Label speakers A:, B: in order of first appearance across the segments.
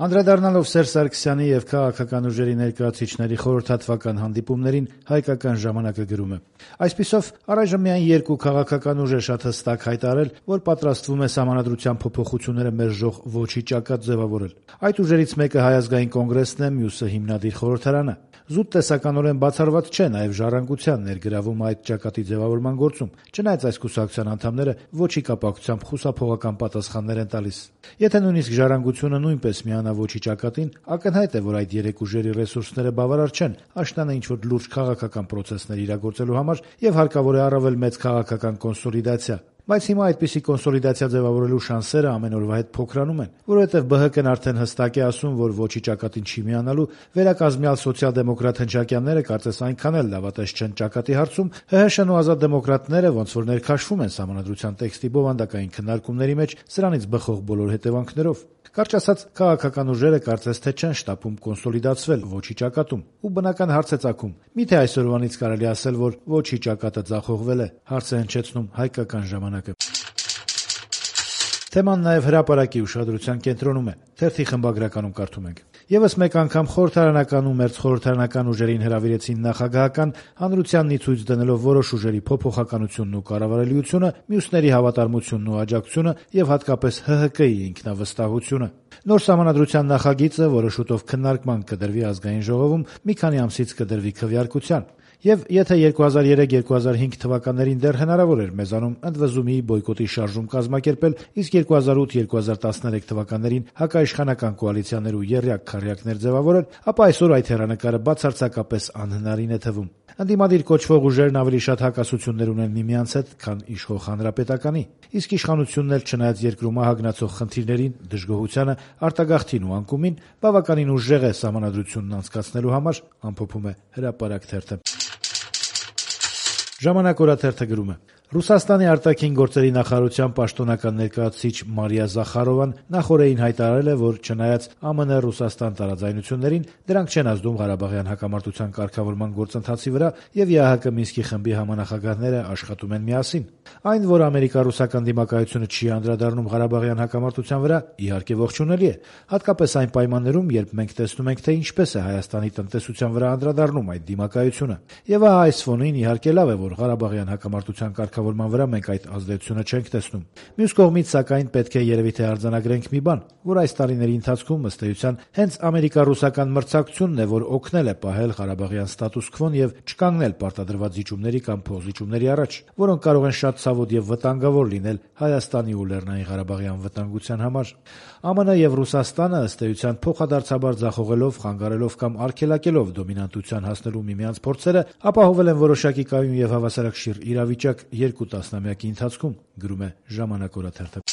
A: Անդրադառնալով Սերժ Սարգսյանի եւ քաղաքական ուժերի ներկայացուցիչների խորհրդատվական հանդիպումներին հայկական ժամանակը գրում է. այսպիսով առայժմ միայն երկու քաղաքական ուժ է շատ հստակ հայտարարել, որ պատրաստվում է Սահմանադրության փոփոխությունները մերժող ոչի ճակատ ձևավորել։ Այդ ուժերից մեկը Հայ ազգային կոնգրեսն է, մյուսը Հիմնադիր խորհրդարանը։ Զուտ տեսականորեն բացառված չէ նաև Ժառանգության ներգրավումը այդ ճակատի ձևավորման գործում, չնայած այս կուսակցության անդամները ոչի կապակցությամբ խուսափողական պատասխաններ են տալիս։ Եթե նույնիսկ Ժառանգությունը նույնպես միանա ոչի ճակատին, ակնհայտ է, որ այդ երեք ուժերի ռեսուրսները բավարար չեն աշնանը ինչ-որ լուրջ քաղաքական պրոցեսներ իրագործելու համար եւ հարկավոր է առավել մեծ քաղաքական կոնսոլիդացիա։ Բայց հիմա այդպիսի կոնսոլիդացիա ձևավորելու շանսերը ամեն օրվա հետ փոքրանում են, որովհետև ԲՀԿ-ն արդեն հստակ է ասում, որ ոչի ճակատին չի միանալու, վերակազմյալ սոցիալ-դեմոկրատ հնչակյանները կարծես այնքան էլ լավատես չեն ճակատի հարցում, ՀՀՇ-ն ու Ազատ դեմոկրատները ոնց որ ներքաշվում են Սահմանադրության տեքստի բովանդակային քննարկումների մեջ սրանից բխող բոլոր հետևանքներով։ Կարճ ասած, քաղաքական ուժերը կարծես թե չեն շտապում կոնսոլիդացվել ոչի ճակատում, ու բնական հարց է ծագում. միթե այսօրվանից կարելի ասել, որ ոչի ճակատը ձախողվել է, հարց է հնչեցնում հայկական ժամանակը։ Թեման նաև հրապարակի ուշադրության կենտրոնում է։ Թերթի խմբագրականում կարդում ենք. Եվս մեկ անգամ խորհրդարանական ու մերձխորհրդարանական ուժերին հրավիրեցին նախագահական, հանրությանն ի ցույց դնելով որոշ ուժերի փոփոխականությունն ու կառավարելիությունը, մյուսների հավատարմությունն ու աջակցությունը եւ հատկապես ՀՀԿ-ի ինքնավստահությունը։ Նոր Սահմանադրության նախագիծը, որը շուտով քննարկման կդրվի ազգային ժողովում, մի քանի ամսից կդրվի քվեարկության։ Եվ եթե 2003-2005 թվականներին դեռ հնարավոր էր մեզանում ընդվզումի բոյկոտի շարժում կազմակերպել, իսկ 2008-2013 թվականներին հակաիշխանական կոալիցիաներ ու եռյակ-քառյակներ ձևավորել, ապա այսօր այդ հեռանկարը բացարձակապես անհնարին է թվում։ Ընդդիմադիր կոչվող ուժերն ավելի շատ հակասություններ ունեն միմյանց հետ, քան իշխող հանրապետականի, իսկ իշխանությունն էլ չնայած երկրում ահագնացող խնդիրներին, դժգոհությանը, արտագաղթին ու անկումին, բավականին ուժեղ է Սահմանադրությունն անցկացնելու համար, ամփոփում է Հրապարակ թերթը։ Ժամանակ օրաթերթը գրում է. Ռուսաստանի արտաքին գործերի նախարարության պաշտոնական ներկայացուցիչ Մարիա Զախարովան նախօրեին հայտարարել է, որ չնայած ԱՄՆ-Ռուսաստան տարաձայնություններին, դրանք չեն ազդում Ղարաբաղյան հակամարտության կարգավորման գործընթացի վրա եւ ԵԱՀԿ Մինսկի խմբի համանախագահները աշխատում են միասին։ Այն, որ ամերիկա-ռուսական դիմակայությունը չի անդրադառնում Ղարաբաղյան հակամարտության վրա, իհարկե ողջունելի է, հատկապես այն պայմաններում, երբ մենք տեսնում ենք, թե ինչպես է Հայաստանի տնտեսության վրա անդրադառնում այդ դիմակայությունը։ Եվ այս ֆոնին իհարկե լավ է, որ Ղարաբաղյան հակամարտության կարգավորման վրա մենք այդ ազդեցությունը չենք տեսնում։ Մյուս կողմից, սակայն, պետք է երևի թե արձանագրենք մի բան, որ այս տարիների ընթացքում ըստ էության հենց ամերիկա-ռուսական մրցակցությունն է, որ օգնել է պահել Ղարաբաղյան ստատուս քվոն եւ չկանգնել պարտադրված զիջումների կամ փոխզիջումների առաջ, որոնք կարող են շատ ցավոտ եւ վտանգավոր լինել Հայաստանի ու Լեռնային Ղարաբաղյան վտանգության համար։ ԱՄՆ եւ Ռուսաստանը ըստ էության փոխադարձաբար ձախողելով, խանգարելով կամ արգելակելով դոմինանտության հասնելու միմյանց փորձերը, ապահովել են որոշակի կայուն եւ հավասարակշիռ իրավիճակ երկու տասնամյակի ընթացքում, գրում է Ժամանակ օրաթերթը։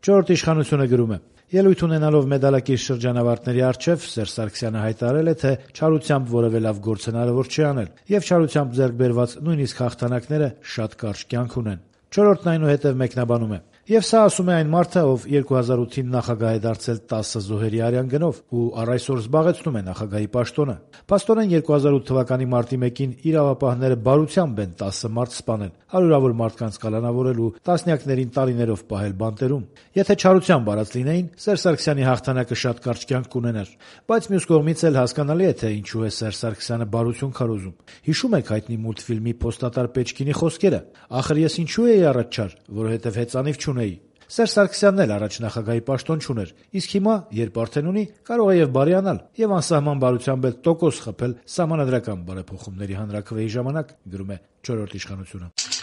A: Չորրորդ իշխանությունը գրում է. Ելույթ ունենալով մեդալակիր շրջանավարտների առջև Սերժ Սարգսյանը հայտարարել է, թե չարությամբ որևէ լավ գործ հնարավոր չի անել, եւ չարությամբ ձեռք բերված նույնիսկ հաղթանակները շատ կարճ կյանք ունեն։ Չորրորդն այնուհետև մեկնաբանում է. Եվ սա ասում է այն մարդը, ով 2008-ին նախագահ է դարձել 10 զոհերի արյան գնով ու առ այսօր զբաղեցնում է նախագահի պաշտոնը։ Փաստորեն 2008 թվականի մարտի 1-ին իրավապահները բարությամբ են 10 մարդ սպանել, հարյուրավոր մարդկանց կալանավորել ու տասնյակներին տարիներով պահել բանտերում։ Եթե չարությամբ արած լինեին, Սերժ Սարգսյանի հաղթանակը շատ կարճ կյանք կունենար։ Բայց մյուս կողմից էլ հասկանալի է, թե ինչու է Սերժ Սարգսյանը բարություն քարոզում։ Հիշում եք հայտնի մուլտֆիլմի Փոստատար Պեչկինի խոսքերը. «Ախր ես ինչու էի առաջ չար, որովհետև հեծանիվ չունեի»։ Սերժ Սարգսյանն էլ առաջ նախագահի պաշտոն չուներ, իսկ հիմա, երբ արդեն ունի, կարող է եւ բարիանալ եւ անսահման բարությամբ էլ տոկոս խփել սահմանադրական բարեփոխումների հանրաքվեի ժամանակ, գրում է Չորրորդ իշխանությունը։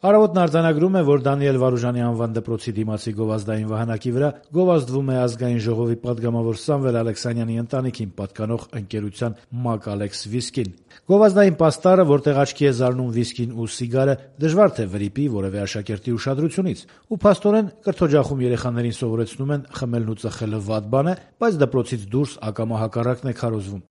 A: Առավոտն արձանագրում է, որ Դանիել Վարուժանի անվան դպրոցի դիմացի գովազդային վահանակի վրա գովազդվում է ազգային ժողովի պատգամավոր Սամվել Ալեքսանյանի ընտանիքին պատկանող ընկերության Mac Alex վիսկին։ Գովազդային պաստառը, որտեղ աչքի է զարնում վիսկին ու սիգարը, դժվար թե վրիպի որևէ աշակերտի ուշադրությունից, ու փաստորեն կրթօջախում երեխաներին սովորեցնում են խմելն ու ծխելը վատ բան է, բայց դպրոցից դուրս ակամա հակառակն է քարոզվում։